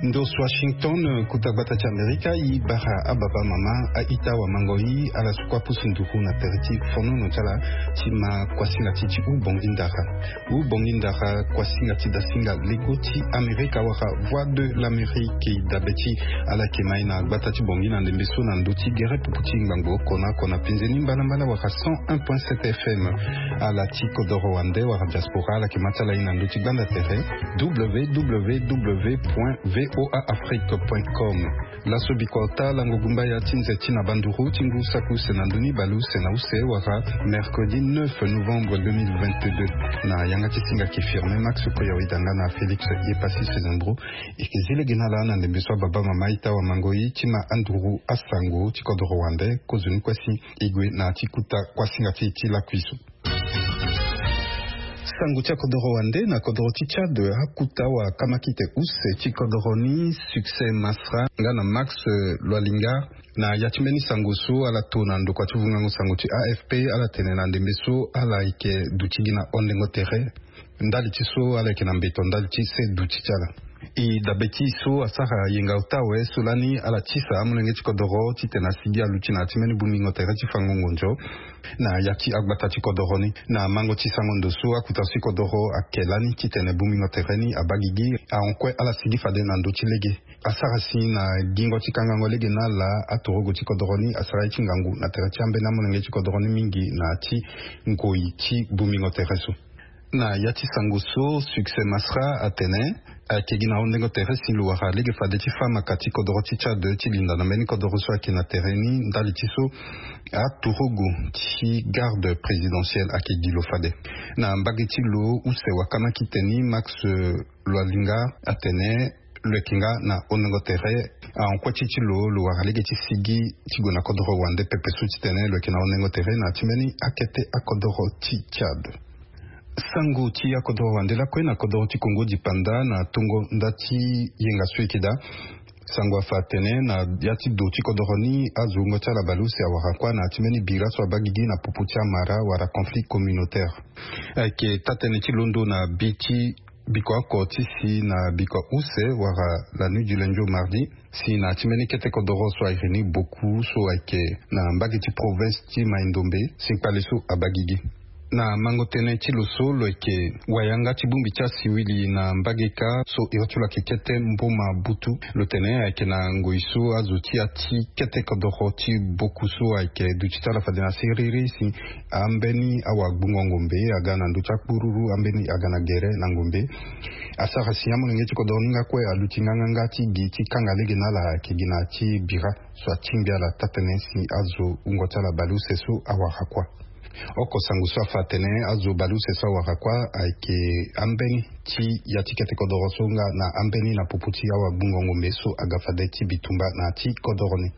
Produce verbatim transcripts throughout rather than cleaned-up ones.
Ndo so Washington, kuta gbata ti Amerika, i bara ababa mama, aita wamango i, ala so kue apusu nduru na tere ti fonono ti ala ti ma kuasinga ti ti hubongi ndara. Hubongi ndara, kuasinga ti dasinga lego ti Amerika wala Voix de l'Amérique. Dabe ti ala yeke ma i na gbata ti Bangui na ndembe so na ndö ti gere pupu ti ngbangbo oko na oko na penze ni mbalambala wala cent un point sept F M. Ala ti kodoro wande wala diaspora, ala yeke ma ti ala i na ndö ti gbanda tere, W W W point V O A Afrique point com. Laso bikua ota lango gumbaya ti nze ti na banduru ti ngu saki use na ndö ni baleuse na use wala mercredi neuf novembre deux mille vingt-deux. Na yanga ti singa ki firme Max Koyawidanga na Félix Yepassi Sezembro. E ke zi lege na ala na ndembe so ababa mama aita wamango i ti ma anduru asango ti kodoro wande. Kozoni kue si e gue na ya ti kuta kuasinga ti e ti lakui so. Sango ti akodoro wande na kodoro ti Tchad, akuta wakamakite use ti kodoro ni Succès Masra nga na Max, eh, Loalinga. Na ya ti mbeni sango so ala to na ndokua ti vungango sango ti A F P, ala tene na ndembe so ala yeke duti gi na hondengo tere. Ndali ti so ala yeke na mbeto ndali ti se duti ti ala. E dabe ti e so asara yenga ota awe so lani ala tisa amolenge ti kodoro titene asigi aluti na ya ti mbeni bongbingo tere ti fango ngonzo na ya ti agbata ti kodoro ni. Na mango ti sango ndo so akuta so ti kodoro ake lani titene bongbingo tere ni abaa gigi, ahon kue ala sigi fade na ndö ti lege. Asara si na gingo ti kangango lege na ala, atorogo ti kodoro ni asara ye ti ngangu na tere ti ambeni amolenge ti kodoro ni mingi na ya ti ngoi ti bongbingo tere so. Na ya ti sango so Succès Masra atene, ayeke gi na hondengo tere si lo wara lege fade ti fâ maka ti kodoro ti Tchad ti linda na mbeni kodoro so ayeke na tere ni ndali ti so aturugu ti garde présidentielle ayeke gi lo fade. Na mbage ti lo use wakana kite ni Max, eh, Loalinga atene lo yeke nga na hondengo tere, ahon kue ti ti lo, lo wara lege ti sigi ti gue na kodoro wande pepe so titene lo yeke na hondengo tere na ya ti mbeni akete akodoro ti Tchad. Sango ti akodoro wande lakue na kodoro ti Kongo dipanda na tongo nda ti yenga so e yeke daa. Sango afa atene na ya ti do ti kodoro ni azo wungo ti ala baleuse awara kuâ na ya ti mbeni bira so abaa gigi na popo ti amara wala conflit communautaire. Ayeke taa-tënë ti londo na bi ti bikua oko ti si na bikua use wala la nuit du lundi au mardi, si na ya ti mbeni kete kodoro so a iri ni Boku so ayeke na mbage ti province ti Mai-Ndombe si kpale so abaa gigi. Na mango tënë ti lo so lo yeke wayanga ti bongbi ti asiwili na mbage kâ so iri ti lo ayeke kete mboma butu. Lo tene ayeke na ngoi so azo ti ya ti kete kodoro ti Boku so ayeke duti ti ala fade na siriri si ambeni awagbungo ngombe aga na ndö ti akpururu, ambeni aga na gere na ngombe. Asara si amolenge ti kodoro ni nga kue aluti nganganga ti gi ti kanga lege na ala ayeke gi na ya ti bira so atingbi ala taa-tënë si azo wungo ti ala baleuse so awara kuâ. Oko sango so afa atene azo baleuse so awara kuâ ayeke ambeni ti ya ti kete kodoro so nga na ambeni na popo ti awagbungo ngombe so aga fade ti bitumba na ya ti kodoro ni.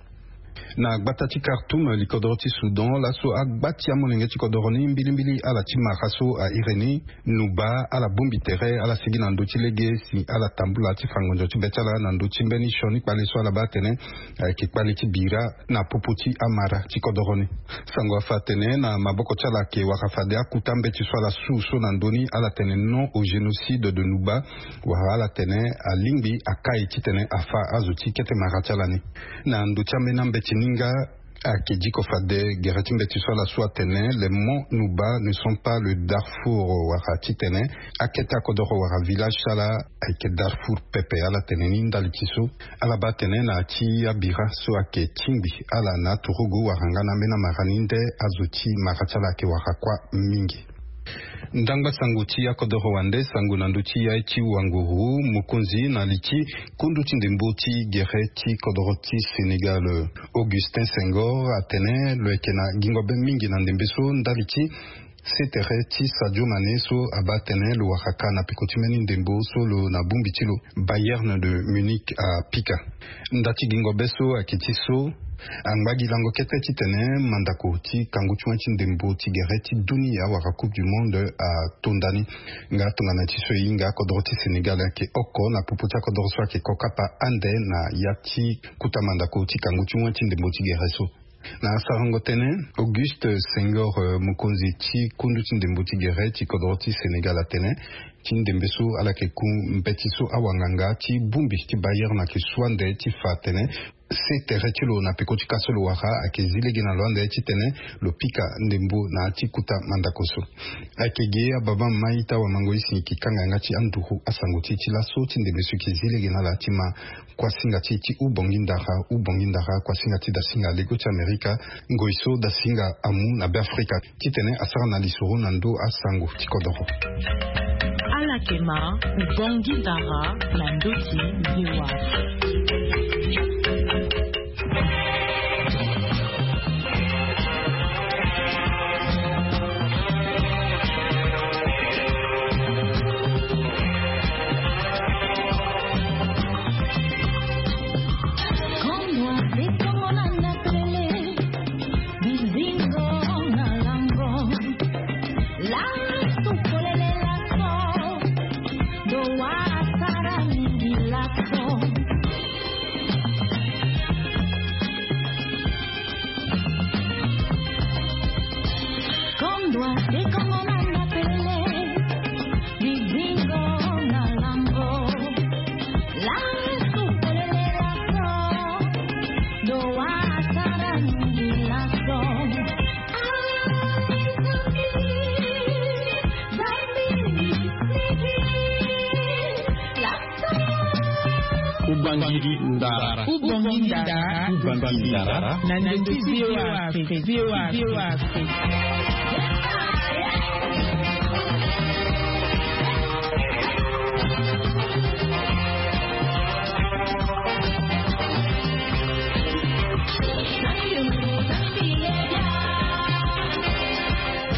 Na gbata ti Khartoum, likodoro ti Soudan, laso agba ti amolenge ti kodoro ni mbilimbili ala ti mara so a iri ni Nuba, ala bongbi tere, ala sigi na ndö ti lege si ala tambula ti fa ngonzo ti be ti ala na ndö ti mbeni sioni kpale so ala baa atene ayeke kpale ti bira na popo ti amara ti kodoro ni. Sango afa atene na maboko ti ala ayeke wara fade akuta mbeti so ala su so na ndö ni ala tene non au génocide de Nuba, wala ala tene alingbi akai titene afa azo ti kete mara ti ala ni. Na ndö ti ambeni ambeti ni nga, ayeke diko fade gere ti mbeti so ala su atene les monts Nuba ne sont pas le Darfour, wala titene akete akodoro wala village ti ala ayeke Darfour pepe. Ala tene ni ndali ti so ala baa atene na ya ti abira so ayeke tingbi ala na aturugu wala nga na ambeni amara ni nde azo ti mara ti ala ayeke wara kuâ mingi. Ndangba sango ti akodoro wande, sango na ndö ti yai ti wanguru, mokonzi na li ti kundu ti ndembo ti gere ti kodoro ti Sénégal, Augustin Senghor, atene lo yeke na gingo be mingi na ndembe so ndali ti Se tere ti Sadio Mané so abaa tënë lo wara ka na peko ti mbeni ndembo so lo na bongbi ti lo Bayern de Munich apika. Nda ti gingo be so ayeke ti so angba gi lango kete titene mandako ti kangu ti wen ti ndembo ti gere ti dunia wala Coupe du Monde atonda ni. Nga tongana ti so e hinga kodro ti Sénégal ayeke oko na popo ti akodro so ayeke kokapa ande na ya ti kota mandako ti kangu ti wen ti ndembo ti gere so. Na sarango tënë, Auguste Senghor, eh, mokonzi ti kundu ti ndembo ti gere ti kodro ti Sénégal atene ti ndembe so ala yeke ku mbeti so awanganga ti bongbi ti Bayern ayeke su ande ti fa atene se tere ti lo na peko ti ka so lo wara ayeke zi lege na lo ande titene lo pika ndembo na ya ti kota mandako so. Ayeke ge ababa ma ita wamango isi yeke kanga yanga ti anduru asango ti e ti laso ti ndembe so yeke zi lege na ala ti ma kuasinga ti e ti Ubongi Ndara, Ubongi Ndara, kuasinga ti dasinga lego ti Amerika, ngoi so dasinga amu na Beafrika. Titene asara na lisoro na ndo asango ti kodoro. Ala yeke ma Ubongi Ndara na ndo ti V O A. Ubangiri ndara. Ubangiri ndara. Ubangiri ndara. Na ndeti V O A Afrique, V O A Afrique.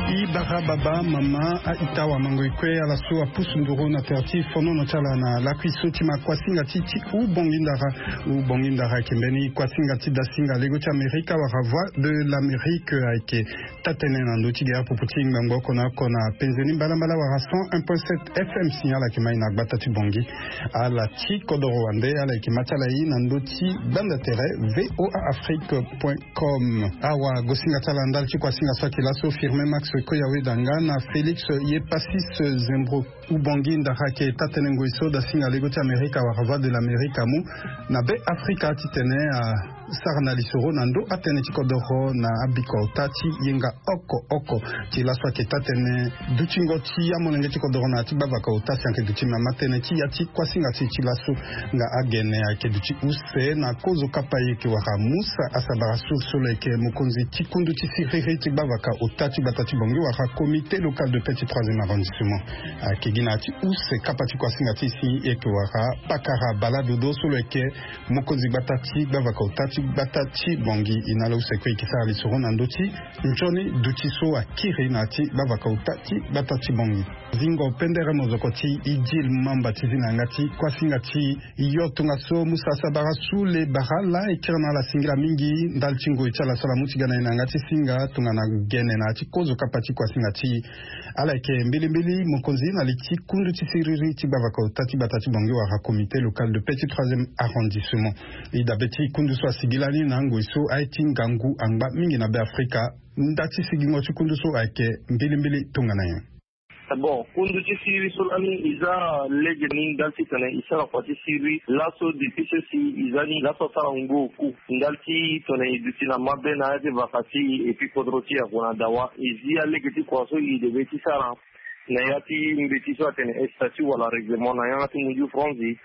I bara baba mama a ita wamango e kue ala so apusu nduru na tere ti fonono ti ala na lakui so ti ma kuasinga ti ti Ubongi ndara. Ubongi ndara ayeke mbeni kuasinga ti dasinga lego ti Amerika wala Voix de l'Amérique ayeke taa-tënë na ndö ti gere popo ti ngbangbo oko na oko na penze ni mbalambala wala cent un point sept F M signal ayeke ma e na gbata ti Bongi. Ala ti kodoro wande ala yeke ma ti ala ye na ndö ti gbanda tere V O A Afrique point com. Awa gosinga ti ala ndali ti kuasinga so ayeke laso Firmin Max Koya Wedanga na Félix Yepasis Zembro. Ubongi ndara ayeke taa-tënë ngoi so dasinga lego ti Amerika wala Voix de l'Amérique amu na Beafrika titene asara na lisoro na ndö atënë ti kodoro na abiko ota ti yenga oko oko. Ti laso ayeke taa-tënë dutingo ti amolenge ti kodoro na ya ti gbavaka ota si ayeke duti mama tënë ti ya ti kuasinga ti e ti laso. Nga agene ayeke duti use na kozo kapa e yeke wara Musa Asabara so so lo yeke mokonzi ti kundu ti siriri ti gbavaka ota ti gbata ti Bongi wala Comité local de paix ti troisième arrondissement. Ayeke gi na ya ti use kapa ti kuasinga ti e si e yeke wara Pakara Bala Dodo so lo yeke mokonzi gbata ti gbavaka ota ti gbata ti Bongi. E na ala use kue e yeke sara lisoro na ndö ti nzoni duti so akiri na ya ti gbavaka ota ti gbata ti Bongi. Zingo pendere mozoko ti Idil Mamba ti zi na yanga ti kuasinga ti yo tongaso Musa Asabara su le bara ala e kiri na ala singila mingi ndali ti ngoi ti ala so ala mu ti ga na e na yanga ti singa tongana gene na ya ti kozo kapa ti kuasinga ti e. Ala yeke mbilimbili mokonzi na li ti kundu ti siriri ti gbavaka ota ti gbata ti Bongi wala Comité local de paix ti troisième arrondissement. E dabe ti kundu so asigi lani na angoi so aye ti ngangu angba mingi na Beafrika. Nda ti sigingo ti kundu so ayeke mbilimbili tongana nyen? Bon, kundu ti siriri so lani e za lege ni ndali titene e sara kua ti siriri laso depuis so si e za ni laso asara ngu oku. Ndali titene e duti na mabe na ya ti vaka ti e et puis kodro ti e ague na dawa. E zi alege ti kua so e debe ti sara na ya ti mbeti so atene statut wala règlement na yanga ti munju franzi.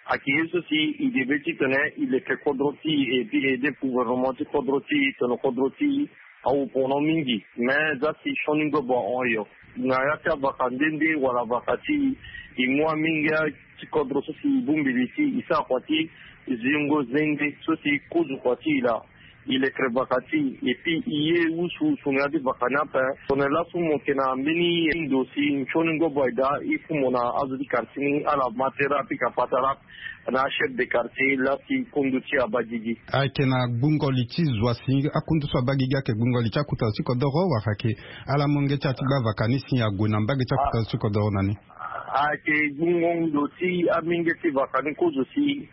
Ayeke ye so si e debe titene e leke kodro ti e et puis e aide gouvernement ti kodro ti e tongana kodro ti e awu pono mingi. Me za si sioni ngba ahon yo na ya ti avaka nde nde wala vaka ti e, e mu amingia ti kodro so si e bongbi li ti e sara kua ti zingo zengbe so si e kozo kua ti e laa. Il est très vacati. Et puis il est usu usu na ya ti vakani ape. Tongana lasu mo yeke na mbeni ndo si nsioni ngobo ayeke daa, il faut mo na azo ti quartier ni ala ma tere apika patara na achef de quartier laa si kundu ti abagigi. Ayeke na gbungo li ti zo asi akundu so abagigi ayeke gbungo li ti akuta zo ti kodoro wala ayeke ala molenge ti ala ti gba vakani si ague na mbage ti akuta zo ti kodoro na ni? Ayeke gbungo ndo ti amenge ti vakani kozo si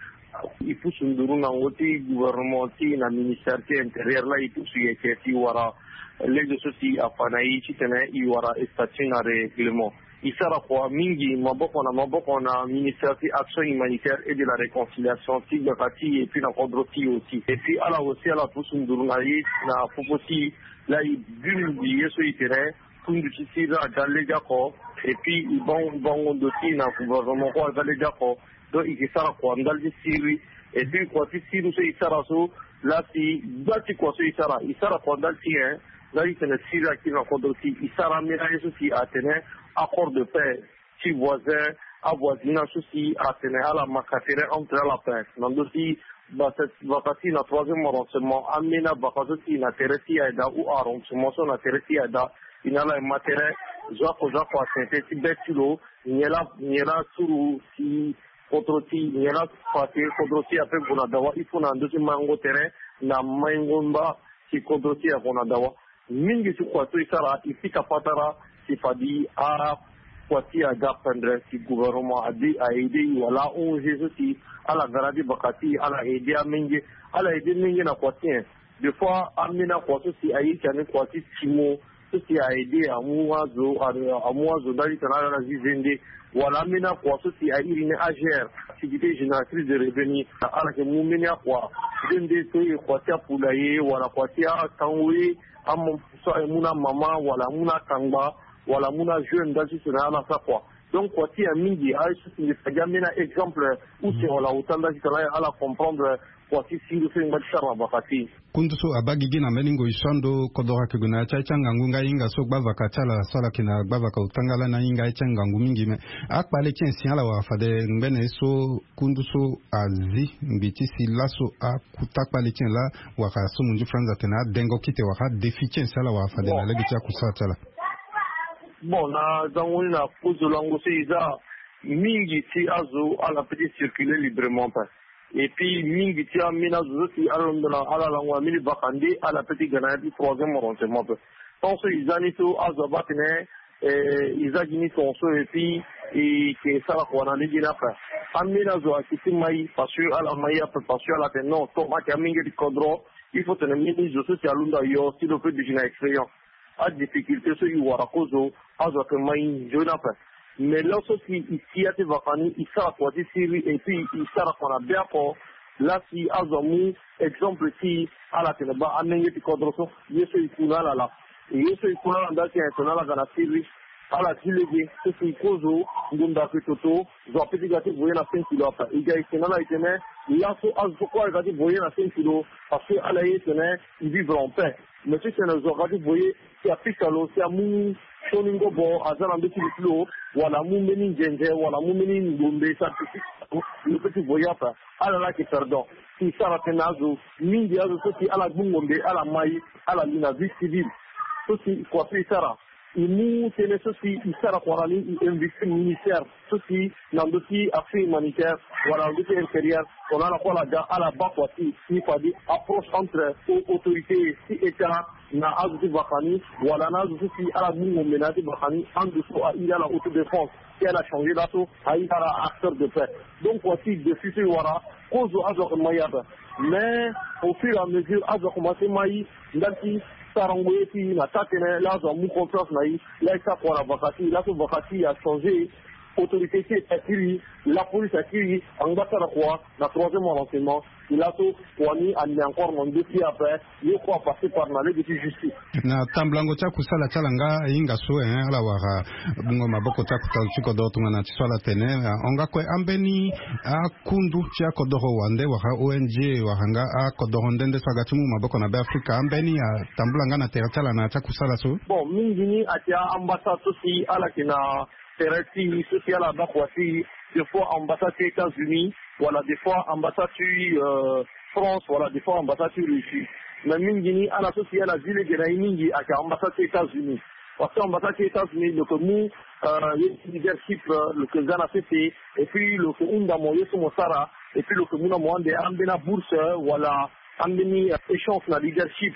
e pusu nduru na ngo ti gouvernement ti e na ministère ti intérieur laa e pusu yeke si e wara lege so si afa na e titene e wara statut na règlement. E sara kua mingi maboko na maboko na ministère ti action humanitaire et de la réconciliation ti gbata ti e et puis na kodro ti e aussi. Et puis ala aussi ala pusu nduru na e na popo ti e laa e bi mingi ye so e tene kundu ti siriri aga legeoko. Et puis e bango bango ndo ti e na gouvernement kue aga legeoko. Donc e ke sara kua ndali ti siriri. Et puis kua ti siriri so e sara so laa si gba ti kua so e sara e sara kua ndali ti e. Ndali ti tene siriri akiri na kodro ti e e sara ambeni aye so si atene accord de paix ti voisin, avoisinage so si atene ala maka tere entre ala ape na ndö ti basa ti na troisième arrondissement ambeni abaka so si na tere ti e ayeke daa ou arrondissement so na tere ti e ayeke daa. E na ala e ma tere zo oko zo oko atene tënë ti be ti lo. Nyen laa nyen laa suru si kodro ti nyen laa fa si kodro ti e ape gue na dawa il faut na ndö ti maingo tere na maingo mba si kodro ti e ague na dawa. Mingi ti kua so e sara e pika patara si fade akua ti e aga pendere si gouvernement ade a aide e wala a ong so si ala ga na ya ti baka ti e ala aide amenge. Ala aide menge na kua ti e. Des fois ambeni akua so si aye ti ani kua ti timo so si a aide amu azo amu azo ndali ti tene ala na zi zende. Wala ambeni akua so si a iri ni agr, activité génératrice de revenu. Ala yeke mu mbeni akua zende so e kua ti apoulaye wala kua ti atango ye. Amu so aye mu na amama wala amu na akangba wala amu na ajeune ndali ti tene ala sara kua. Donc kua ti e mingi aye so si mbi fa gi ambeni a-exemple use wala ota ndali ti tene ala comprendre kua ti siriri so e ngba ti sara na vaka ti e. Kundu so abaa gigi na mbeni ngoi so ando kodoro ayeke gue na ya ti aye ti angangu nga hinga so gba vaka ti ala so ala yeke na gba vaka ota nga lani ahinga aye ti angangu mingi me. Akpale ti e si ala wara fade ngbene ye so kundu so azi ngbi ti si laso akuta kpale ti e laa wala so munzu franz atene adengo kite wala adéfi ti e si ala wara fade na lege ti akusala ti ala. Bon na zango ni na kozo lango so e za mingi ti azo ala pe ti circuler librement ape. Et puis mingi ti ambeni azo so si ala londo na ala lango na mbeni vaka nde ala pe ti ga na ya ti troisième arrondissement ape. Tant so e za ni so azo abaa tene e za gi ni tongaso et puis e ke sara kua na lege ni ape. Ambeni azo ayeke ti mai parce que ala mai ape parce que ala tene non tant ayeke amenge ti kodro il faut tene mbeni zo so si alondo ayo si lo pe duti na expérience. Adifficulté so e wara kozo azo ayeke mai nzoni ape. Mais laso si e ti ya ti vaka ni e sara kua ti siriri et puis e sara kua na be oko. Laa si azo amu exemple ti ala tene baa amenge ti kodro so ye so e ku na ala laa. E ye so e ku na ala ndali ti tene ala ga na siriri ala ti lege so si e kozo ngonda ayeke toto. Zo ape ti ga ti voye na cinq kilo ape e ga e tene ala e tene laso azo so kue ala ga ti voye na cinq kilo parce que ala ye tene e vivre en paix. Mais ti tene zo aga ti voye si apika lo si amu sioni ngobo aza na ndö ti li ti lo wala amu mbeni nzenze wala amu mbeni ngbonde si apika lo lo pe ti voye ape. Ala laa ayeke perdant. Si e sara tënë na azo mingi azo so si ala gbu ngombe ala mai ala li na vie civile so si kua so e sara e mu tënë so si e sara kua na ni e investi ministère so si na ndö ti action humanitaire wala na ndö ti intérieur. Tongana ala kue ala ga ala baa kua ti e si fade approche entre autorité ti état na azo ti vaka ni wala na azo so si ala gbu ngombe na ya ti vaka ni ando so a iri ala autodéfense ti ala changer laso a iri ala acteur de paix. Donc kua ti défi so e wara kozo azo ayeke mai ape. Mais au fur et à mesure azo akomanse mai ndali ti sarango ye ti e na taa tënë laa azo amu confiance na e laa e sara kua na vaka ti e laso vaka ti e achanger. Autorité ti e akiri lapolice akiri angba sara kua na troisième arrondissement. E laso kua ni ande encore na ndö ti e ape. Ye kue apasser par na lege ti justice. Na tambulango ti akusala ti ala nga ahinga so eh ala wara gbungo maboko ti akuta zo ti kodoro tongana ti so ala tene. Ahon nga kue ambeni akundu ti akodoro wande wala ong wala nga akodoro nde nde so aga ti mu maboko na be afrika ambeni atambula nga na tere ti ala na ya ti akusala so? Bon mingi ni ayeke ambassade so si ala yeke na tere ti e so si ala baa kua ti e. Des fois ambassade ti états-unis wala des fois ambassade ti france wala des fois ambassade ti russie. Mais mingi ni ala so si ala zi lege na ye mingi ayeke ambassade ti États-Unis. Parce que ambassade ti États-Unis lo yeke mu leadership, lo yeke za na sese, et puis lo yeke hunda mo ye so mo sara, et puis lo yeke mu na mo ande ambeni abourse wala ambeni échange na leadership.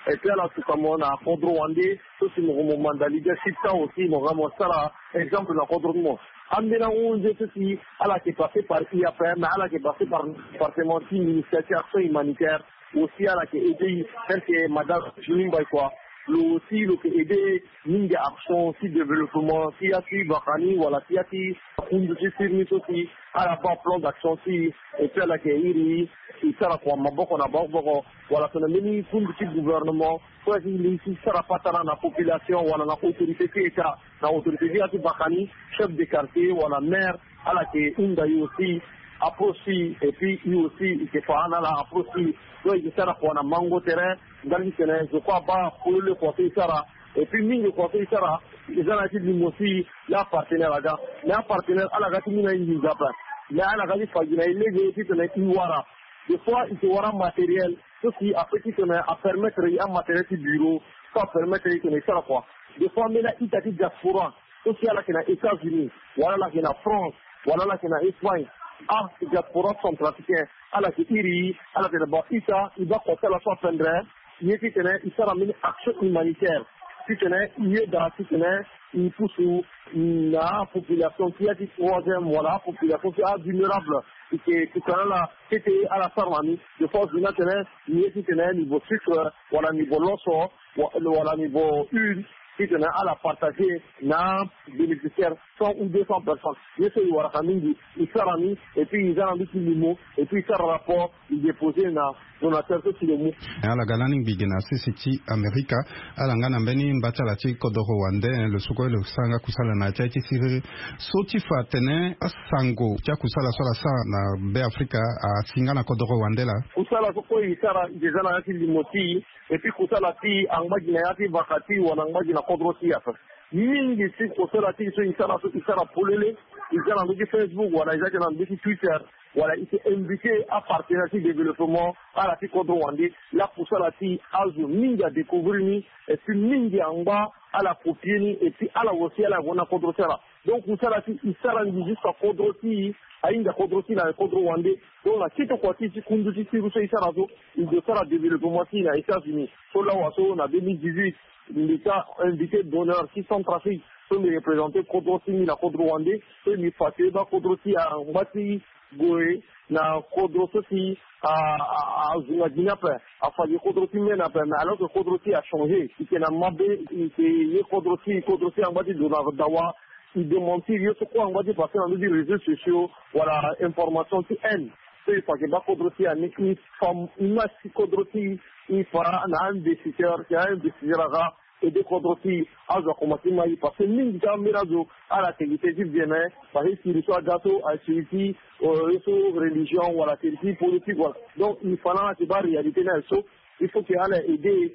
Et puis ala tuka mo na kodro wande so si mo yeke mo manda leadership ti awe aussi mo ga mo sara exemple na kodro ti mo. Ambeni ahon so si ala yeke passe par I A P M, ala yeke passe par département ti ministère ti action humanitaire. Aussi ala yeke aidé tel que madame Julie Mbaye kua. Lo aussi lo yeke aidé mingi action ti développement ti ya ti baka ni wala ti ya ti kundu ti sirni so si ala baa plan d'action ti. Et puis ala yeke iri e sara kua maboko na maboko wala tongana mbeni kundu ti gouvernement so aye ti li ti sara patara na population wala na autorité ti état, na autorité ti ya ti baka ni, chef de quartier wala maire, ala yeke hunda e aussi approche ti e, et puis e aussi e yeke fa na ala approche ti e. Donc e yeke sara kua na mango tere ndali ti tene zo kue abaa polele kua so e sara. Et puis mingi kua so e sara e za na ya ti limo ti e. Laa apartenaire aga, mais apartenaire ala ga ti mu na e nginza ape. Mais ala ga ti fa gi na e lege titene e wara. Des fois e yeke wara matériel so si ape titene apermettre e amatériel ti bureau, so apermettre e titene e sara kua. Des fois ambeni a-ita ti diaspora so si ala yeke na États-Unis wala ala yeke na France wala ala yeke na Espagne, adiaspora centrafricain, ala yeke iri e, ala tene bon, ita e baa kua ti ala so apendre ye titene e sara mbeni action humanitaire titene e yeda titene e pusu na apopulation ti ya ti troisième wala apopulation ti avulnérable. E yeke tuka na ala tete ala sara na ni. Des fois zo ni atene ni ye titene niveau sucre wala niveau loso wala niveau huile titene ala partager na bénéficiaire cent ou deux cents personnes. Ye so e waraka mingi e sara ni, et puis e za na ndö ti limo, et puis e sara rapport e déposer na donateur so si lo mu. Ala ga lani ngbi ge na sese ti Amerika. Ala nga na mbeni mba ti ala ti kodoro wande, lo so kue lo sara nga kusala na ya ti aye ti siriri so ti fa atene asango ti akusala so ala sara na Be Afrika asi nga na kodoro wande laa. Kusala so kue e sara e yeke za na ya ti limo ti e, et puis kusala ti e angba gi na ya ti vaka ti e wala angba gi na kodro ti e ape. Mingi ti kusala ti e so e sara so e sara polele. E za na ndö ti Facebook wala e za ti na ndö ti Twitter wala e yeke invité apartenaire ti développement ala ti kodro wande. Laa kusala ti e azo mingi adécouvrir ni, et puis mingi angba ala copier ni, et puis ala aussi ala gue na kodro ti ala. Donc kusala ti e sara ngi jusqu'à kodro ti e, ahinga kodro ti e na kodro wande. Donc na kete kua ti e ti kundu ti siriri so e sara so, e gue sara développement ti e na États-Unis. So lawa so na deux mille dix-huit mbi ta invité d'honneur ti Centrafrique so mbi représenter kodro ti mbi na kodro wande. So mbi fa ti e baa kodro ti e angba ti gue na kodro so si a, a, azunga gi ni ape. Afa gi kodro ti mene ape, mais alors que kodro ti e achanger. E yeke na mabe, e yeke ye kodro ti e, kodro ti e angba ti dona dawa. E démentir ye so kue angba ti passer na ndö ti réseaux sociaux wala information ti haine. So e fa yeke baa kodro ti e ani e fa, e ma si kodro ti e, e fa na investisseur, si a-investisseur aga aider kodro ti e, azo akomanse ti ma e. Parce que mingi ti ambeni azo ala yeke gi tënë ti bien, mais parce que siriri so aga so aye siriri ti, euh, ye so religion wala siriri ti politique wala. Donc e fa na ala ti baa réalité ni aye so. Il faut que ala aider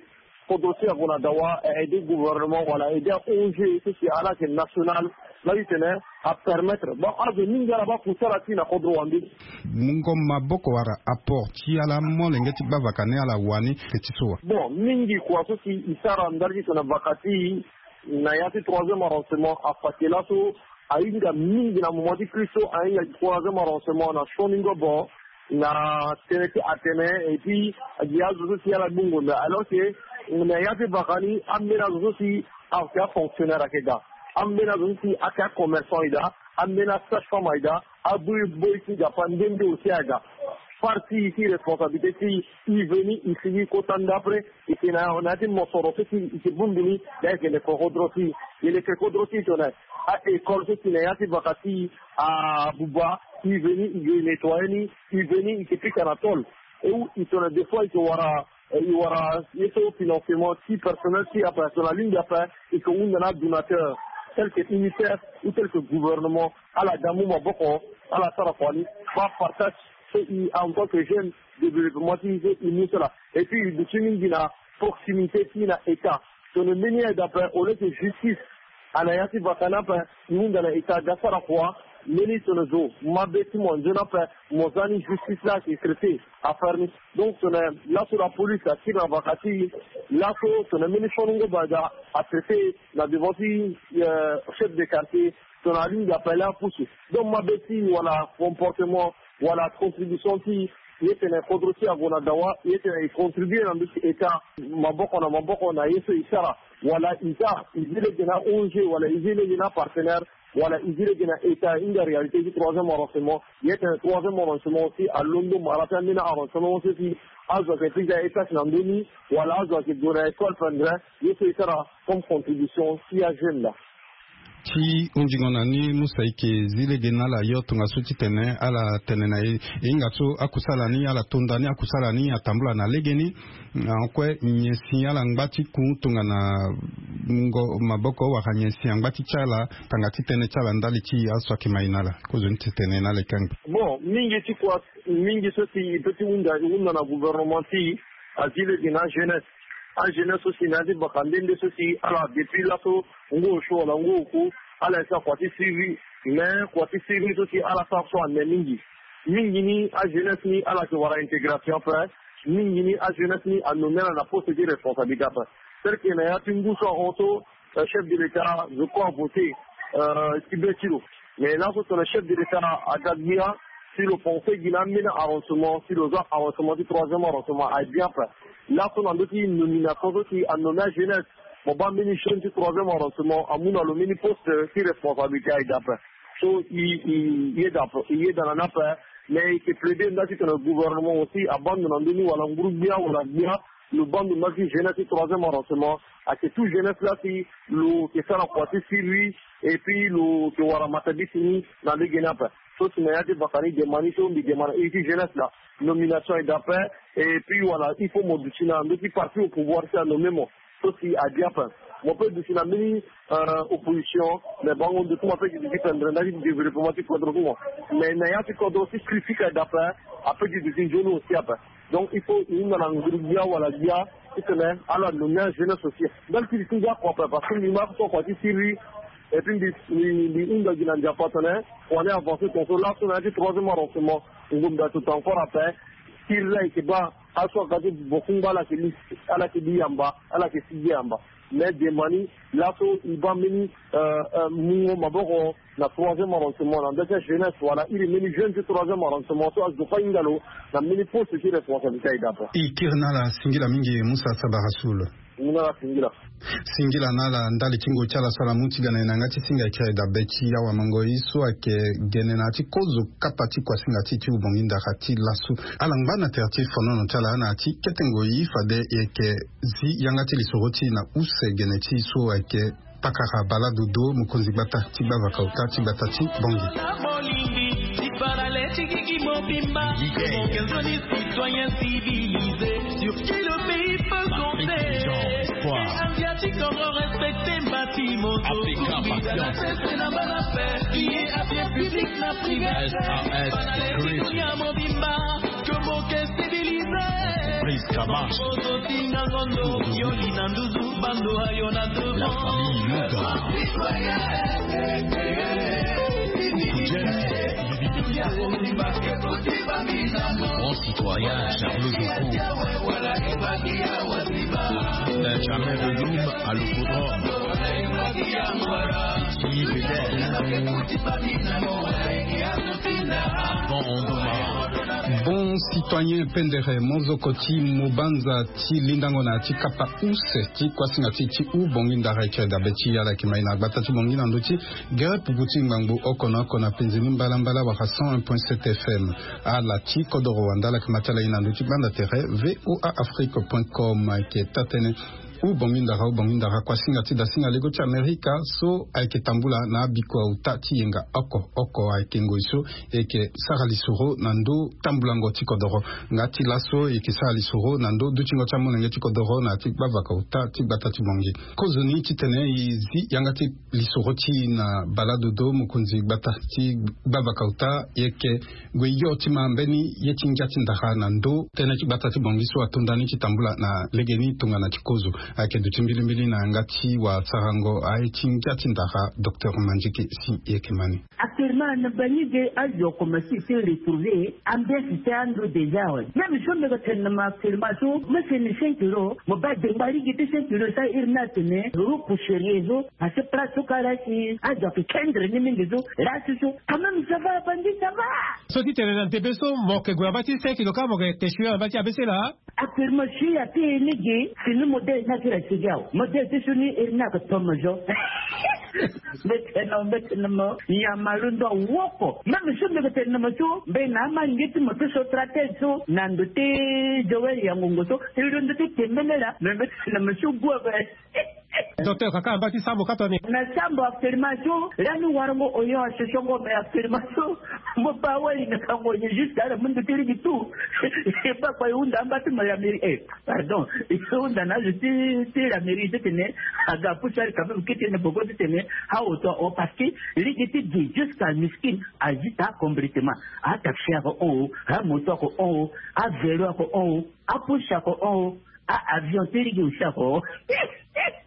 kodro ti e ague na dawa, aider gouvernement wala aider a-O N G so si ala yeke national, laa ti tene apermettre bon azo mingi ala baa kusala ti e na kodro wande. Mungo maboko wala apport ti ala molenge ti baa vaka ni ala wani ke ti so wa? Bon, mingi kua so si e sara ndali ti tene vaka ti e na ya ti troisième arrondissement afa ti laso ahinga mingi na moment ti crise so ahinga troisième arrondissement na sioni ngobo na tënë ti atene, et puis agi azo so si ala gbu ngonda, alors que na ya ti vaka ni ambeni azo so si ayeke afonctionnaire ayeke daa, ambeni azo so si ayeke acommerçant e daa, ambeni asage-femme aye daa, aboyi-boyi ti Nzapa nde nde aussi aye daa. Parti ti responsabilité ti e, e veni e sigi kota ndapre, e yeke na, na ya ti mosoro so si e yeke bongbi ni, daa e yeke leke kodro ti e, e leke kodro ti e tongana a-école so si na ya ti vaka ti e abuba, e veni e yeke nettoyer ni, e veni e yeke pika na tôle. E wu e tongana des fois e yeke wara, e wara ye so financement ti personnel ti e ape, tongana alingbi ape e yeke hunda na adonateur tel que UNICEF ou tel que gouvernement, ala ga mu maboko, ala sara kua ni. Baa partage so e en tant que jeune, développement ti e so e mu so laa. Et puis e duti mingi na proximité ti e na État. Tongana mbeni aide ape, au lieu que justice ana ya ti vaka ni ape, e hunda na État aga sara kua, Mbeni tene zo mabe ti mo nzoni ape, mo za ni justice la ayeke traité affaire ni. Donc tene laso la police akiri na vaka ti e. Laso tene mbeni fanungo bada atraité na devant ti chef de quartier, tene alingbi apele apusu. Donc mabe ti wala comportement wala contribution ti e tene kodro ti e ague na dawa, e tene e contribue na ndö ti état maboko na maboko na ye so e sara. Wala e za e zi lege na ong wala e zi lege na partenaire, wala e zi lege na état e hinga réalité ti troisième arrangement. E tene troisième arrangement aussi alondo mara ti ambeni arrangement so si azo ayeke ti ga étage na ndö ni, wala azo ayeke gue na école pendere. Ye so e sara comme contribution ti ajeune la. Ti hunzingo na ni musa eke zi lege na ala yo tongaso titene ala tene na e e hinga so akusala ni ala tonda ni akusala ni atambula na legeni. Akue nyen si ala ngba ti ku tongana ngo maboko wala nyen si angba ti ti ala tanga ti tënë ti ala ndali ti aso ayeke mai na ala? Kozoni titene na ala e kangbi. Bon, mingi ti kua mingi so si e pe ti hunda e hunda na gouvernement ti e azi lege na ajeunesse. Ajeunesse so si na ya ti baka nde nde so si ala depuis laso ngu osio wala ngu oku ala esa kua ti siriri. Mais kua ti siriri so si ala sara so ane mingi. Mingi ni ajeunesse ni ala yeke wara intégration ape. Mingi ni ajeunesse ni anomme ala na poste ti responsabilité ape. Tel que na ya ti ngu so ahon so chef de l'état zo kue avoté ti be ti lo. Mais laso tene chef de l'état aga gbia si lo pense gi na ambeni arrangement si lo za arrangement ti troisième arrangement aye bien ape. Laso na ndö ti nomination so si anomme ajeunesse mo baa mbeni jeune ti troisième arrangement amu na lo mbeni poste ti responsabilité aye daa ape. So e yeda na ni ape. Mais e yeke plaider nda titene gouvernement aussi abaa ndo na ndö ni wala nguru gbia wala gbia lo baa ndo nda ti jeunesse ti troisième arrangement. Ayeke tout jeunesse la si lo yeke sara kua ti siriri et puis lo yeke wara matabisi ni na lege ni ape. So si na ya ti baka ni dema ni so mbi dema na iri ti jeunesse la nomination aye daa ape. Et puis wala il faut mo duti na ndö ti parti au pouvoir si anomme mo so si aye bien ape. Mo pe duti na mbeni opposition. Mais bango ndo ti mo ape gi duti pendere nda ti développement ti kodro ti mo. Mais na ya ti kodro ti critique aye daa ape. Ape gi duti nzoni aussi ape. Donc il faut e hunda na nguru gbia wala gbia titene ala nomme ajeunesse aussi. Ndali ti li ti ngia kua ape parce que mbi ma so kua ti siriri. Et puis mbi mbi hunda gi na nzapa tene kua ni avance tongaso laso na ya ti troisième arrangement. Ngombe ato to encore ape. Siriri ayeke baa aso aga ti bokungba ala yeke li ala yeke li yamba ala yeke si gi yamba. Mais dema ni laso e baa mbeni mungo maboko na troisième arrangement na nda ti ajeunesse wala iri mbeni jeune ti troisième arrangement so azo kue ahinga lo na mbeni poste ti responsabilité aye daa ape. E kiri na ala singila mingi musa sabara sul. Singila na ala ndali ti ngoi ti ala so ala mu ti ga na e na yanga ti singa e kiri dabe ti awa mangoi so ayeke gene na ya ti kozo kapa ti kuasinga ti ti ubongi ndara ti lasu. Ala ngba na tere ti fonono ti ala na ya ti kete ngoi fade e yeke zi yanga ti lisoro ti e na use gene ti so ayeke pakara baladodo mokonzi gbata ti gbavaka ota ti gbata ti bongi. Africa, patience. S A S Creative. Prise Kama. La famille Luga. Grand citoyen Charles Joko. Benjamin Belum à l'hippodrome. Bon, citoyen Pendere, mozoko ti mobanza ti lindango na ti kapa use ti kuasinga ti ti u bongi ndara eke dabe ti ala yeke mai na gbata ti bongi na ndö ti gere pupu ti ngbangbo oko na oko na penze ni mbalambala wala cent un point sept F M. Ala ti kodoro wanda ala yeke ma ti ala ye na ndö ti gbanda tere V O A Afrique point com ayeke taa-tënë. U bongi ndara u bongi ndara kuasinga ti dasinga lego ti Amerika so ayeke tambula na abiko auta ti yenga oko oko ayeke ngoi so e yeke sara lisoro na ndö tambulango ti kodoro. Nga ti laso e yeke sara lisoro na ndö dutingo ti amolenge ti kodoro na ya ti gbavaka auta ti gbata ti bongi. Kozoni titene e zi yanga ti lisoro ti e na baladodo mokonzi gbata ti gbavaka auta e yeke gue yo ti ma mbeni ye ti ngia ti ndara na ndö tënë ti gbata ti bongi so atonda ni ti tambula na legeni tongana ti kozo. Ayeke duti mbilimbili na yanga ti wasarango aye ti ngia ti ndara, docteur Mandieke si e yeke ma ni. Actuellement na bangi ge azo akomanse ti retrouver ambiance ti ando déjà awe. Même so mbi yeke tene na mo actuellement so mo seni cinq euros, mo baa dengba lege ti cinq euros so airi ni atene euro pour sérieux so. Parce que place so kara si azo ayeke kendre ni mingi so. Lasi so quand même ça va, bangi ça va. So ti tene na ndembe so mo yeke gue na mba ti cinq euros kâ mo yeke te sio na mba ti abc laa. Actuellement si ape lege fini modèle ni akiri asigi awe. Modèle ti so ni iri ni ayeke tomo zo. Mbi tene na mo, mbi tene na mo, nyama londo awoko. Même so mbi yeke tene na mo so mbi na amalenge ti mo ti so tratele so na ndo ti Joël ya ngongo so, e londo ti tembele laa. Mais mbi tene na mo so gue ape. Docteur, kaka na mba ti sambo ka toni. Na sambo actuellement so lani warango oyo asosongo, mais actuellement so mo baa wali na kango ye juste ala mundu ti ligi tout. E baa kua e hunda amba ti mo ya mairie, eh, pardon, e hunda na azo ti ti la mairie ti tene aga apusu ari quand même kete na boko ti tene aoto ahon, parce que ligi ti gi jusqu'à Miskin azita complètement. Ataxi ako hon, amoto ako hon, avelo ako hon, apusu ako hon, a avion ti ligi aussi ako hon.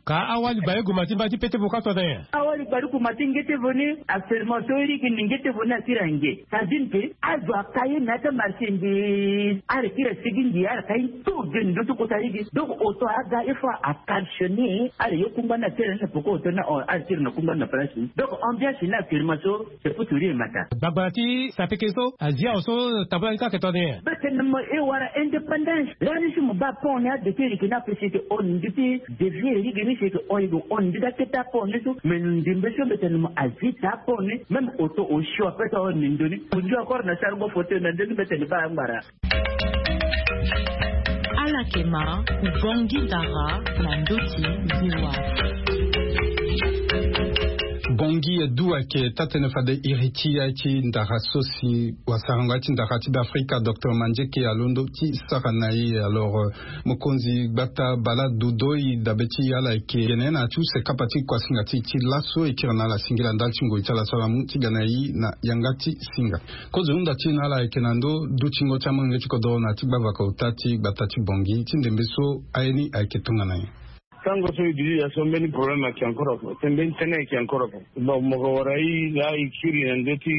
Ka awali baleuguma ti mba ti pete vo ka tone. Awali baleuguma ti nge ti vo ni. Actuellement so ligi ni nge ti vo ni asiri ange. Sardine pe azo aka ye na ya ti amarché ndi. Ala kiri asigi ndi ala ka ye tout de ndo ti kota ligi. Donc oto aga il faut a cautionner. Ala ye kungba ni atene na poko oto ni ahon, ala tiri na kungba ni na place ni. Donc ambiance ni actuellement so c'est pour tout dire mata. Gbagbara ti sapeke so azia awe so tambula ni ka ayeke tone. Mbi tene na mo e wara indépendance. Lani so mo baa pont ni ade ti leke ni ape si e yeke hon ndi ti dévier lege ni si e yeke hon, e yeke hon ndi ti akete apont ni so. Mais ndembe so mbi tene na mo azita apont ni. Même oto osio ape so ahon ni ndo ni. Ondio encore na sarango fauteuil na ndo ni, mbi tene baa angbara. Ala yeke ma Bongi Dara na ndö ti V O A. Bongi Edu ayeke taa-tënë fade iri ti aye ti ndara so si wasarango aye ti ndara ti Beafrika, docteur Mandieke, alondo ti sara na e. Alors, euh, mokonzi gbata Bala Dodoi dabe ti ala ayeke gene na ya ti use kapa ti kuasinga ti e ti laso e kiri na ala singila ndali ti ngoi ti ala so ala mu ti ga na e na yanga ti singa. Kozo hunda ti e na ala ayeke na ndö dutingo ti amolenge ti kodoro na ya ti gbavaka ota ti gbata ti Bongi ti ndembe so aye ni ayeke tongana nyen? Tango so e duti ya so mbeni problème ayeke encore ape, mbeni tënë ayeke encore ape. Bon, mo ko wara e laa e kiri na ndö ti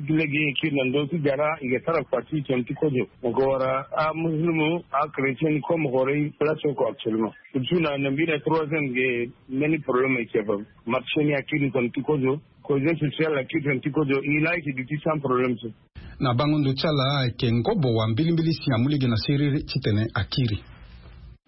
lege, e kiri na ndö ti gara, e ke sara kua ti tene ti kozo. Mo ko wara amusulumu, achrétien ni kue mo ko wara e place oko actuellement. Surtout na mbi na troisième ge mbeni problème ayeke ape. Marché ni akiri tene ti kozo. Cohésion sociale akiri tene ti kozo, e laa e yeke duti sans problème so. Na bango ndo ti ala ayeke ngobo wa mbilimbili si amu lege na siriri titene akiri.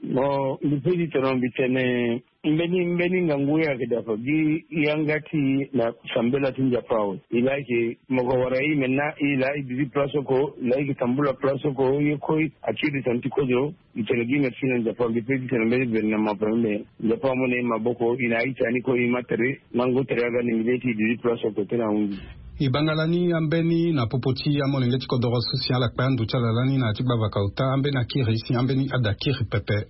Bon, mbi pe ti tene mbi tene mbeni mbeni ngangu ye ayeke daa ape gi yanga ti e na sambela ti Nzapa awe. E laa e yeke mo ko wara e maintenant, e laa e duti place oko, e laa e yeke tambula place oko, ye kue akiri tene ti kozo. Mbi tene gi merci na Nzapa, mbi pe ti tene mbeni gouvernement ape, mais Nzapa amu na e maboko, e na a-ita ni kue, e ma tere, mangu tere aga na mbi laa e ti duti place oko tene ahunzi. E banga lani ambeni na popo ti amolenge ti kodoro so si ala kpe ando ti ala lani na ya ti gbavaka ota, ambeni akiri si ambeni ada kiri pepe.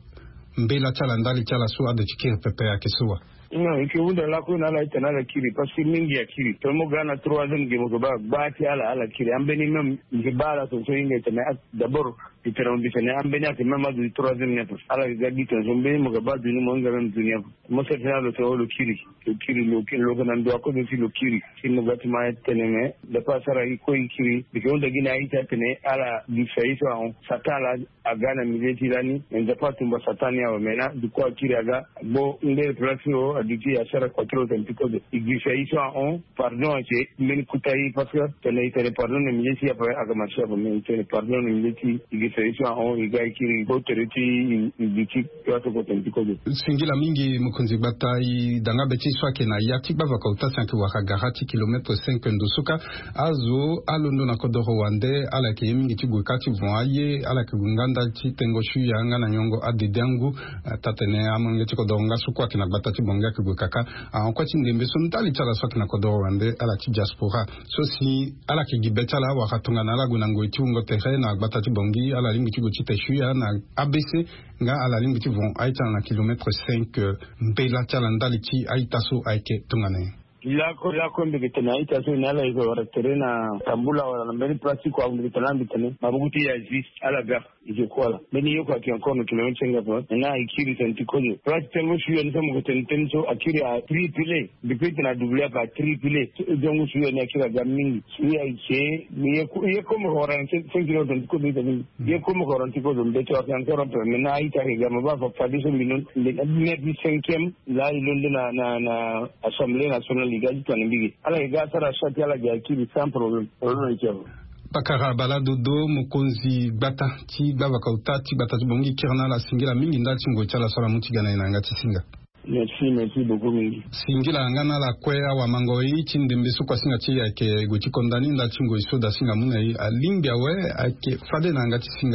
Mbela ti ala ndali ti ala so ade ti kiri pepe ayeke so wa? Non, e yeke hunda lakue na ala titene ala kiri, parce que mingi akiri. Tongana mo ga na troisième ge mo yeke baa gba ti ala, ala kiri. Ambeni même mbi yeke baa ala tongaso e hinga titene, ah, d'abord, mbi tene mbi tene ambeni ayeke même azo ti troisième ni ape. Ala yeke ga gi tongaso mbeni mo yeke baa ado ni mo hinga même ado ni ape. Mo sara titene ala so lo kiri, lo kiri, lo kiri, lo yeke na ndo akozo si lo kiri. Si mo ga ti ma tene me, Nzapa asara e kue e kiri. Mbi yeke hunda gi na a-ita atene ala duti fa ye so ahon. Satan ala aga na milieu ti lani, Nzapa atumba Satan ni awe, mais na duku akiri aga, gbo ngbere place so aduti asara kua ti lo tene ti kozo. E girisa e so ahon, pardon ayeke mbeni kota e, parce que tene e tene pardon na milieu ti e ape ayeke marché ape, mais e tene pardon na milieu ti e, e girisa e so ahon, e ga e kiri gbo tere ti e, e duti place oko tene ti kozo. Singila mingi mokonzi gbata, e danga be ti e so ayeke na ya ti gbavaka ota si ayeke wara gara ti kilomètre cinq ndo so kâ. Azo alondo na kodoro wande, ala yeke ye mingi ti gue kâ ti von aye, ala yeke gue nga ndali ti tengo suya nga na nyongo adede angu. Eh, taa tene amolenge ti kodoro nga so kue ayeke na gbata ti Bongi ayeke gue kaka. Ahon kue ti ndembe so ndali ti ala so ayeke na kodoro wande, ala ti diaspora. So si ala yeke gi be ti ala awara tongana ala gue na ngoi ti wungo tere na gbata ti Bongi, ala lingbi ti gue ti te suya na A B C, nga ala lingbi ti von a-ita na kilomètre cinq, eh, mbela ti ala ndali ti a-ita so ayeke tongana nyen? Lakue, lakue mbi yeke tene a-ita so ni ala yeke wara tere na tambula wala na mbeni place ti kua, mbi yeke tene ala mbi tene maboko ti e azi, ala ga. Ike kuala mbeni yoko ake encore na kilomètre senga po na na ikiri senti kozo place tengo suya ni so moko teni teni so akiri a tripile. Depuis tena double apa tripile. Dongo suya ni akiri aga mingi. Suya ike ye ko moko horan senti kozo ita mingi. Ye ko moko horan senti kozo mbeto ake encore un peu mais na ita ake gama ba fa fadi so mbinon. Nde na dina di cinquième la ilo nde na na na assemblée nationale iga di tana mbigi ala iga sara chati ala gi akiri sans problème. Olo na ike. Bakara bala dodo mokonzi gbata ti gbavaka ota ti gbata ti bongi kiri na ala singila mingi ndali ti ngoi ti ala so ala mu ti ga na ye na yanga ti singa. Merci merci beaucoup mingi. Singila yanga na ala kue awamango ye ti ndembe so kua singa ti ye ayeke gue ti konda ni ndali ti ngoi so da singa mu na ye alingbi awe. Ayeke fade na yanga ti singa.